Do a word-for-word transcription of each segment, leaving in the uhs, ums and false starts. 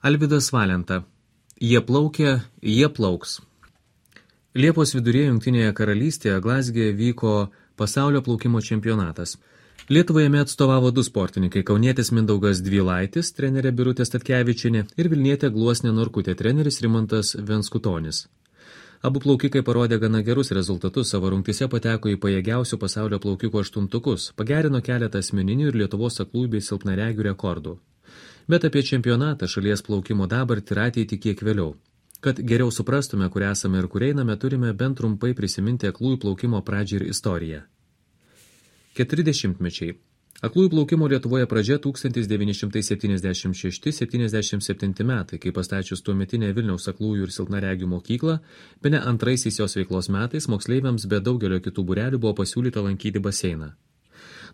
Alvydas Valenta. Jie plaukia, jie plauks. Liepos viduryje Jungtinėje karalystėje Glazge vyko pasaulio plaukimo čempionatas. Lietuvai jame atstovavo du sportininkai – kaunietis Mindaugas Dvylaitis, trenerė Birutė Statkevičienė ir vilnietė Gluosnė Norkutė, treneris Rimantas Venskutonis. Abu plaukikai parodė gana gerus rezultatus, savo rungtyse pateko į pajėgiausių pasaulio plaukikų aštuntukus, pagerino keletą asmeninių ir Lietuvos aklųjų bei silpnaregių rekordų. Bet apie čempionatą, šalies plaukimo dabartį ir ateitį kiek vėliau. Kad geriau suprastume, kur esame ir kur einame, turime bent trumpai prisiminti aklųjų plaukimo pradžią ir istoriją. Keturiasdešimtmečiai. Aklųjų plaukimo Lietuvoje pradžia tūkstantis devyni šimtai septyniasdešimt šešti septyniasdešimt septinti metai, kai pastačius tuometinę Vilniaus aklųjų ir silpnaregių mokyklą, bene antraisiais jos veiklos metais moksleiviams be daugelio kitų būrelių buvo pasiūlyta lankyti baseiną.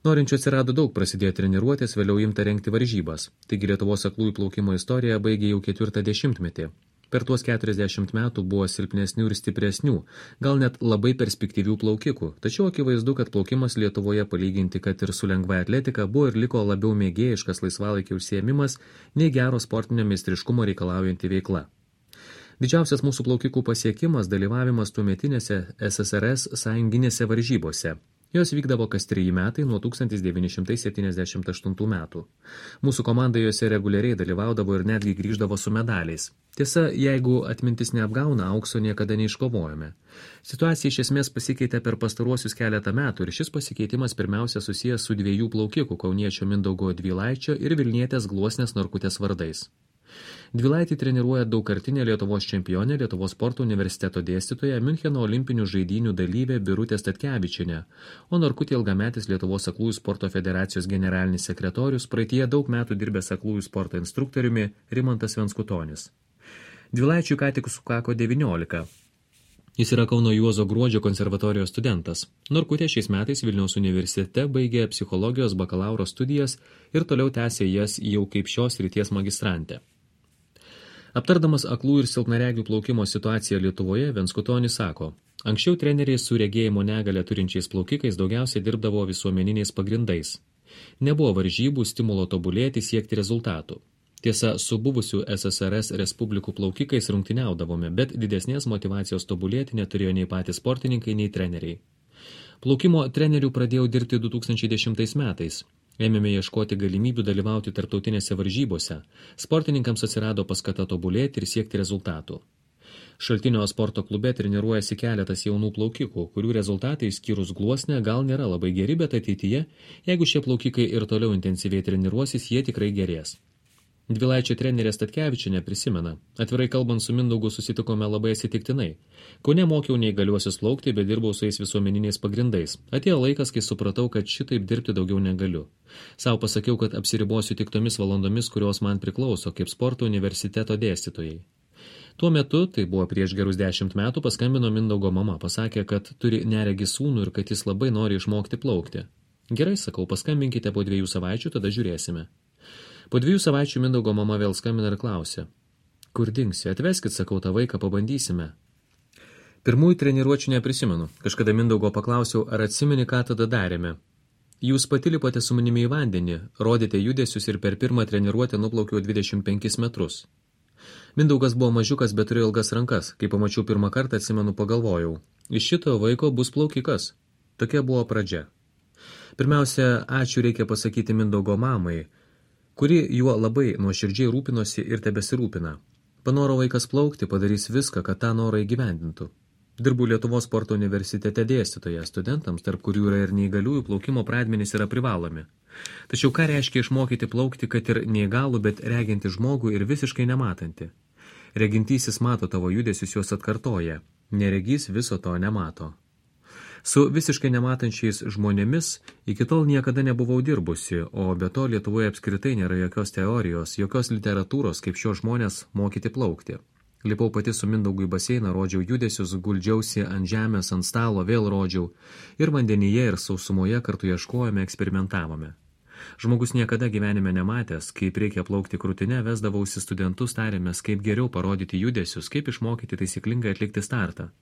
Norinčių atsirado daug, prasidėjo treniruotės, vėliau imta rengti varžybas. Taigi Lietuvos aklųjų plaukimo istorija baigė jau ketvirtą dešimtmetį. Per tuos keturiasdešimt metų buvo silpnesnių ir stipresnių, gal net labai perspektyvių plaukikų, tačiau akivaizdu, kad plaukimas Lietuvoje palyginti, kad ir su lengva atletika, buvo ir liko labiau mėgėjiškas laisvalaikio užsiėmimas, nei gero sportinio meistriškumo reikalaujanti veikla. Didžiausias mūsų plaukikų pasiekimas dalyvavimas tuometinėse S S R S sąjunginėse varžybose. Jos vykdavo kas treji metai nuo tūkstantis devyni šimtai septyniasdešimt aštuntų metų. Mūsų komanda jose reguliariai dalyvaudavo ir netgi grįždavo su medaliais. Tiesa, jeigu atmintis neapgauna, aukso niekada neiškovojome. Situacija iš esmės pasikeitė per pastaruosius keletą metų ir šis pasikeitimas pirmiausia susijęs su dviejų plaukikų, kauniečio Mindaugo Dvylaičio ir vilnietės Gluosnės Norkutės vardais. Dvylaitį treniruoja daugkartinė Lietuvos čempionė, Lietuvos sporto universiteto dėstytoja, Miuncheno olimpinių žaidynių dalyvė Birutė Statkevičienė, o Norkutė ilgametis Lietuvos aklųjų sporto federacijos generalinis sekretorius, praeityje daug metų dirbęs aklųjų sporto instruktoriumi Rimantas Venskutonis. Dvylaičiui ką tik sukako devyniolika. Jis yra Kauno Juozo Gruodžio konservatorijos studentas. Norkutė šiais metais Vilniaus universitete baigė psichologijos bakalauro studijas ir toliau tęsė jas jau kaip šios srities magistrantė. Aptardamas aklų ir silpnaregių plaukimo situaciją Lietuvoje, Venskutonis sako, anksčiau treneriai su regėjimo negalią turinčiais plaukikais daugiausiai dirbdavo visuomeniniais pagrindais. Nebuvo varžybų, stimulo tobulėti, siekti rezultatų. Tiesa, su buvusių S S R S respublikų plaukikais rungtyniaudavome, bet didesnės motyvacijos tobulėti neturėjo nei patys sportininkai, nei treneriai. Plaukimo trenerių pradėjau dirbti du tūkstančiai dešimtais metais. Ėmėme ieškoti galimybių dalyvauti tarptautinėse varžybose. Sportininkams atsirado paskata tobulėti ir siekti rezultatų. Šaltinio sporto klube treniruojasi keletas jaunų plaukikų, kurių rezultatai išskyrus Gluosnę gal nėra labai geri, bet ateityje, jeigu šie plaukikai ir toliau intensyviai treniruosis, jie tikrai gerės. Dvylaičio trenerė Statkevičienė prisimena, atvirai kalbant su Mindaugu susitikome labai atsitiktinai. Kaune mokiau neįgaliuosius plaukti, bet dirbau su jais visuomeniniais pagrindais. Atėjo laikas, kai supratau, kad šitaip dirbti daugiau negaliu. Sau pasakiau, kad apsiribosiu tik tomis valandomis, kurios man priklauso, kaip sporto universiteto dėstytojai. Tuo metu, tai buvo prieš gerus dešimt metų, paskambino Mindaugo mama, pasakė, kad turi neregį sūnų ir kad jis labai nori išmokti plaukti. Gerai, sakau, paskambinkite po dviejų savaičių, tada žiūrėsime. Po dviejų savaičių Mindaugo mama vėl skambina ir klausia. Kur dingsi? Atveskit, sakau, tą vaiką, pabandysime. Pirmųjų treniruočių neprisimenu. Kažkada Mindaugo paklausiau, ar atsimeni, ką tada darėme. Jūs pati lipote su manimi į vandenį, rodėte judesius ir per pirmą treniruotę nuplaukiau dvidešimt penkis metrus. Mindaugas buvo mažiukas, bet turėjo ilgas rankas. Kai pamačiau pirmą kartą, atsimenu, pagalvojau. Iš šito vaiko bus plaukikas. Tokia buvo pradžia. Pirmiausia, ačiū reikia pasakyti Mindaugo mamai, kuri juo labai nuoširdžiai rūpinosi ir tebesirūpina. Panoro vaikas plaukti, padarys viską, kad tą norą įgyvendintų. Dirbu Lietuvos sporto universitete dėstytoje studentams, tarp kurių yra ir neįgaliųjų, plaukimo pradmenys yra privalomi. Tačiau ką reiškia išmokyti plaukti, kad ir neįgalų, bet reginti žmogų ir visiškai nematanti? Regintysis mato tavo judesius, juos atkartoja. Neregys viso to nemato. Su visiškai nematančiais žmonėmis iki tol niekada nebuvau dirbusi, o be to Lietuvoje apskritai nėra jokios teorijos, jokios literatūros, kaip šios žmonės mokyti plaukti. Lipau pati su Mindaugu į baseiną, rodžiau judesius, guldžiausi ant žemės, ant stalo, vėl rodžiau. Ir vandenyje, ir sausumoje kartu ieškojome, eksperimentavome. Žmogus niekada gyvenime nematęs, kaip reikia plaukti krūtine, vesdavausi studentus, tarėmės, kaip geriau parodyti judesius, kaip išmokyti taisyklingai atlikti startą.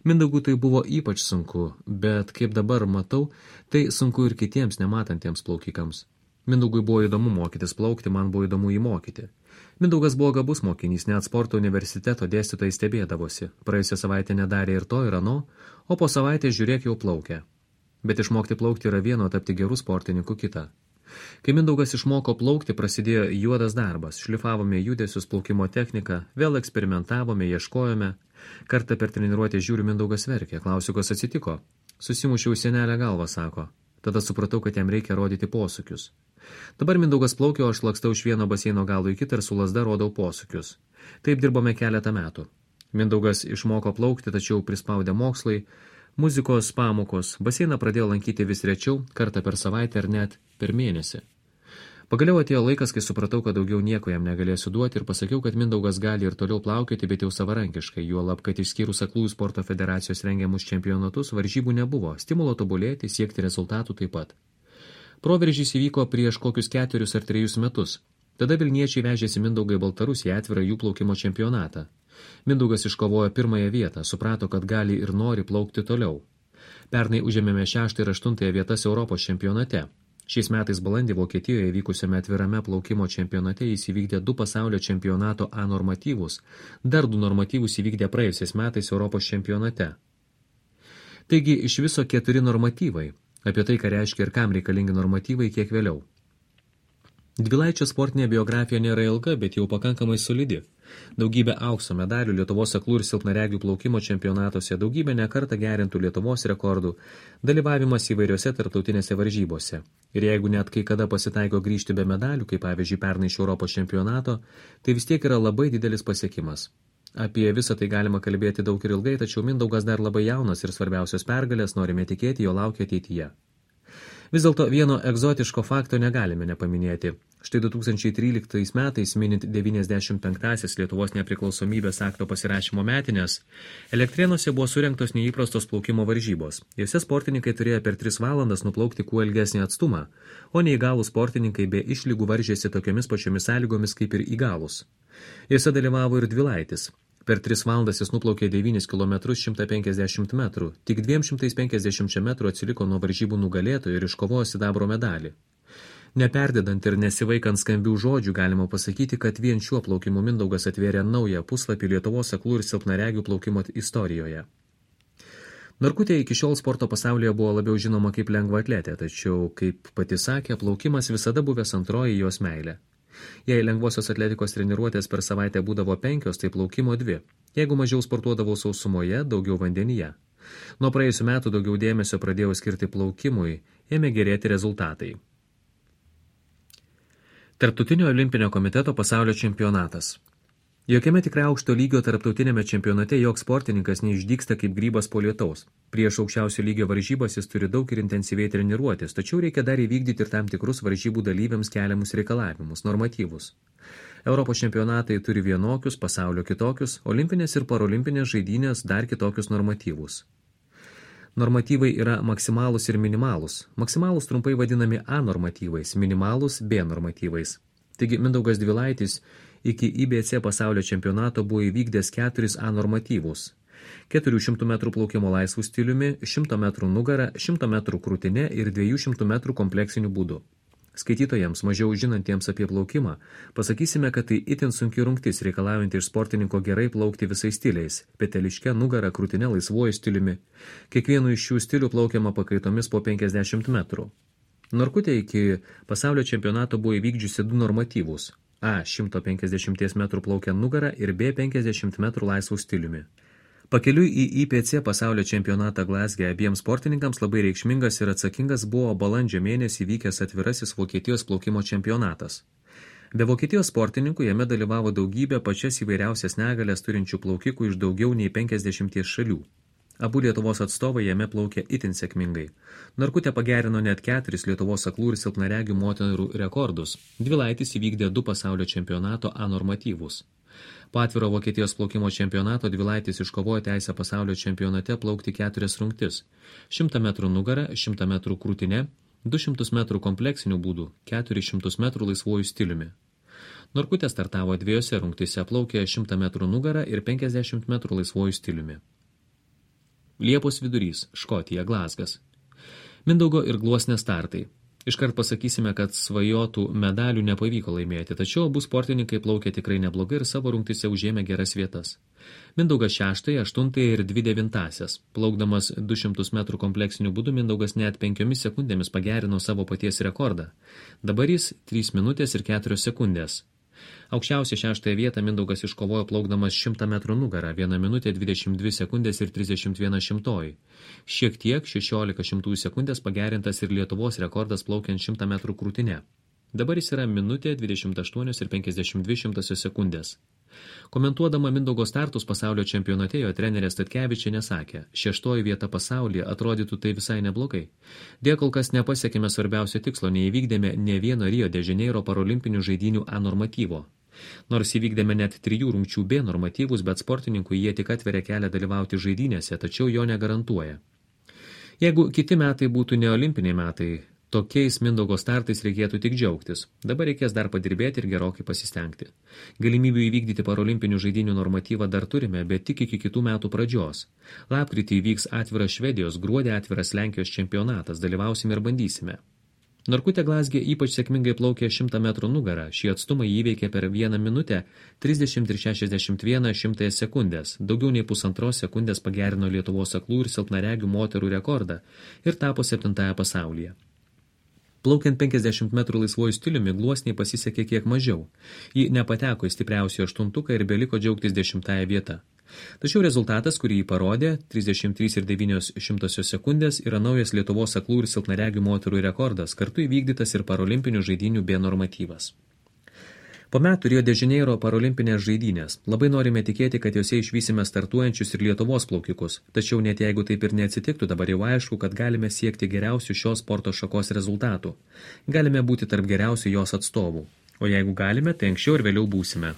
Mindaugui tai buvo ypač sunku, bet kaip dabar matau, tai sunku ir kitiems nematantiems plaukikams. Mindaugui buvo įdomu mokytis plaukti, man buvo įdomu jį mokyti. Mindaugas buvo gabus mokinys, net sporto universiteto dėstytojai stebėdavosi. Praėjusią savaitę nedarė ir to ir ano, o po savaitės žiūrėk jau plaukia. Bet išmokti plaukti yra vieno, tapti gerų sportininkų kita. Kai Mindaugas išmoko plaukti, prasidėjo juodas darbas. Šlifavome judesius, plaukimo techniką, vėl eksperimentavome, ieškojome. Kartą per treniruotę žiūriu, Mindaugas verkė. Klausiu, kas atsitiko. Susimušiau senelę galvą, sako. Tada supratau, kad jam reikia rodyti posūkius. Dabar Mindaugas plaukė, o aš lakstau iš vieno baseino galo į kitą ir su lazda rodau posūkius. Taip dirbome keletą metų. Mindaugas išmoko plaukti, tačiau prispaudė mokslai, muzikos pamokos. Baseiną pradėjo lankyti vis rečiau, kartą per savaitę ar net per mėnesį. Pagaliau atėjo laikas, kai supratau, kad daugiau nieko jam negalėsiu duoti ir pasakiau, kad Mindaugas gali ir toliau plaukioti, bet jau savarankiškai, juolab, kad išskyrus Aklųjų sporto federacijos rengiamus čempionatus varžybų nebuvo, stimulo tobulėti, siekti rezultatų taip pat. Proveržys įvyko prieš kokius ketverius ar trejus metus. Tada Vilniečiai vežėsi Mindaugą į Baltarusiją atvirą jų plaukimo čempionatą. Mindaugas iškovojo pirmąją vietą, suprato, kad gali ir nori plaukti toliau. Pernai užėmėme šeštą ir aštuntąją vietas Europos čempionate. Šiais metais balandį Vokietijoje vykusiame atvirame plaukimo čempionate jis įvykdė du pasaulio čempionato A normatyvus, dar du normatyvus įvykdė praėjusiais metais Europos čempionate. Taigi iš viso keturi normatyvai. Apie tai, ką reiškia ir kam reikalingi normatyvai, kiek vėliau. Dvilaičio sportinė biografija nėra ilga, bet jau pakankamai solidi. Daugybė aukso medalių Lietuvos aklų ir silpnaregių plaukimo čempionatuose, daugybė nekartą gerintų Lietuvos rekordų, dalyvavimas įvairiose tarptautinėse varžybose. Ir jeigu net kai kada pasitaiko grįžti be medalių, kaip pavyzdžiui pernai iš Europos čempionato, tai vis tiek yra labai didelis pasiekimas. Apie visą tai galima kalbėti daug ir ilgai, tačiau Mindaugas dar labai jaunas ir svarbiausios pergalės, norime tikėti, jo laukia ateityje. Vis dėlto vieno egzotiško fakto negalime nepaminėti. Štai du tūkstančiai tryliktais metais, minint devyniasdešimt penktąsias Lietuvos nepriklausomybės akto pasirašymo metinės, Elektrėnuose buvo surengtos neįprastos plaukimo varžybos. Jose sportininkai turėjo per tris valandas nuplaukti kuo ilgesnį atstumą, o neįgalūs sportininkai be išlygų varžėsi tokiomis pačiomis sąlygomis kaip ir įgalūs. Jose dalyvavo ir Dvilaitis. Per tris valandas jis nuplaukė devynis kilometrus šimtą penkiasdešimt metrų, tik dviem šimtais penkiasdešimt metrų atsiliko nuo varžybų nugalėtojų ir iškovojo sidabro medalį. Neperdedant ir nesivaikant skambių žodžių, galima pasakyti, kad vien šiuo plaukimu Mindaugas atvėrė naują puslapį Lietuvos aklų ir silpnaregių plaukimo istorijoje. Norkutė iki šiol sporto pasaulyje buvo labiau žinoma kaip lengvaatletė, tačiau, kaip pati sakė, plaukimas visada buvęs antroji jos meilė. Jei lengvosios atletikos treniruotės per savaitę būdavo penkios, tai plaukimo dvi. Jeigu mažiau sportuodavau sausumoje, daugiau vandenyje. Nuo praėjusių metų daugiau dėmesio pradėjau skirti plaukimui, ėmė gerėti rezultatai. Tarptautinio olimpinio komiteto pasaulio čempionatas. Jokiame tikrai aukšto lygio tarptautinėme čempionate joks sportininkas neišdygsta kaip grybas po lietaus. Prieš aukščiausio lygio varžybas jis turi daug ir intensyviai treniruotis, tačiau reikia dar įvykdyti ir tam tikrus varžybų dalyviams keliamus reikalavimus, normatyvus. Europos čempionatai turi vienokius, pasaulio kitokius, olimpinės ir parolimpinės žaidynės dar kitokius normatyvus. Normatyvai yra maksimalūs ir minimalūs. Maksimalūs trumpai vadinami A normatyvais, minimalūs B normatyvais. Taigi Mindaugas Dvilaitis iki I B C pasaulio čempionato buvo įvykdęs keturis A normatyvus. keturių šimtų metrų plaukimo laisvų stiliumi, šimto metrų nugara, šimto metrų krūtine ir dviejų šimtų metrų kompleksiniu būdu. Skaitytojams, mažiau žinantiems apie plaukimą, pasakysime, kad tai itin sunki rungtis reikalaujanti iš sportininko gerai plaukti visais stiliais – peteliške, nugara, krūtine, laisvuoju stiliumi. Kiekvienu iš šių stilių plaukiama pakaitomis po penkiasdešimt metrų. Norkutė iki pasaulio čempionato buvo įvykdžiusi du normatyvus – A šimto penkiasdešimt metrų plaukia nugara ir B penkiasdešimt metrų laisvų stiliumi. Pakeliui į I P C pasaulio čempionatą Glasgow abiems sportininkams labai reikšmingas ir atsakingas buvo balandžio mėnesį vykęs atvirasis Vokietijos plaukimo čempionatas. Be Vokietijos sportininkų jame dalyvavo daugybė pačias įvairiausias negalias turinčių plaukikų iš daugiau nei penkiasdešimties šalių. Abu Lietuvos atstovai jame plaukė itin sėkmingai. Norkutė pagerino net keturis Lietuvos aklų ir silpnaregių moterų rekordus. Dvilaitis įvykdė du pasaulio čempionato A normatyvus. Po atviro Vokietijos plaukimo čempionato Dvilaitis iškovojo teisę pasaulio čempionate plaukti keturias rungtis. šimtą metrų nugara, šimtą metrų krūtine, du šimtus metrų kompleksinių būdų, keturis šimtus metrų laisvuoju stiliumi. Norkutė startavo dviejose rungtise, plaukė šimtą metrų nugara ir penkiasdešimt metrų laisvuoju stiliumi. Liepos vidurys, Škotija, Glazgas. Mindaugo ir Gluosnės startai. Iškart pasakysime, kad svajotų medalių nepavyko laimėti, tačiau abu sportininkai plaukė tikrai neblogai ir savo rungtyse užėmė geras vietas. Mindaugas šeštąją, aštuntąją ir dvi devintąsias. Plaukdamas du šimtus metrų kompleksiniu būdu Mindaugas net penkiomis sekundėmis pagerino savo paties rekordą. Dabar jis trys minutės ir keturios sekundės. Aukščiausią šeštąją vietą Mindaugas iškovojo plaukdamas šimtą metrų nugarą, vieną minutę dvidešimt dvi sekundės ir trisdešimt viena šimtoji. Šiek tiek šešiolika šimtųjų sekundės pagerintas ir Lietuvos rekordas plaukiant šimtą metrų krūtine. Dabar jis yra minutė dvidešimt aštuonios ir penkiasdešimt dvi šimtosios sekundės. Komentuodama Mindaugo startus pasaulio čempionate, jo trenerė Statkevičienė sakė, šeštoji vieta pasaulyje atrodytų tai visai neblogai. Dėja kol kas nepasiekėme svarbiausio tikslo, neįvykdėme ne vieno Rio de Janeiro parolimpinių žaidynių A normatyvo. Nors įvykdėme net trijų rungčių B normatyvus, bet sportininkui jie tik atveria kelią dalyvauti žaidynėse, tačiau jo negarantuoja. Jeigu kiti metai būtų neolimpiniai metai, tokiais Mindaugo startais reikėtų tik džiaugtis. Dabar reikės dar padirbėti ir gerokai pasistengti. Galimybių įvykdyti parolimpinių žaidynių normatyvą dar turime, bet tik iki kitų metų pradžios. Lapkritį įvyks atviras Švedijos, gruodį atviras Lenkijos čempionatas, dalyvausime ir bandysime. Norkutė Glazgė ypač sėkmingai plaukė šimtą metrų nugarą. Šį atstumą įveikė per vieną minutę trisdešimt ir šešiasdešimt vieną šimtąją sekundės. Daugiau nei pusantros sekundės pagerino Lietuvos aklų ir silpnaregių moterų rekordą ir tapo septintąją pasaulyje. Plaukiant penkiasdešimt metrų laisvuoju stiliumi Gluosniai pasisekė kiek mažiau. Ji nepateko į stipriausią aštuntuką ir beliko džiaugtis dešimtąją vietą. Tačiau rezultatas, kurį jį parodė, trisdešimt trys ir devynios šimtosios sekundės, yra naujas Lietuvos aklų ir silpnaregių moterų rekordas, kartu įvykdytas ir parolimpinių žaidynių B normatyvas. Po metų Rio de Janeiro parolimpinės žaidynės. Labai norime tikėti, kad jose išvysime startuojančius ir Lietuvos plaukikus. Tačiau net jeigu taip ir neatsitiktų, dabar jau aišku, kad galime siekti geriausių šios sporto šakos rezultatų. Galime būti tarp geriausių jos atstovų. O jeigu galime, tai anksčiau ir vėliau būsime.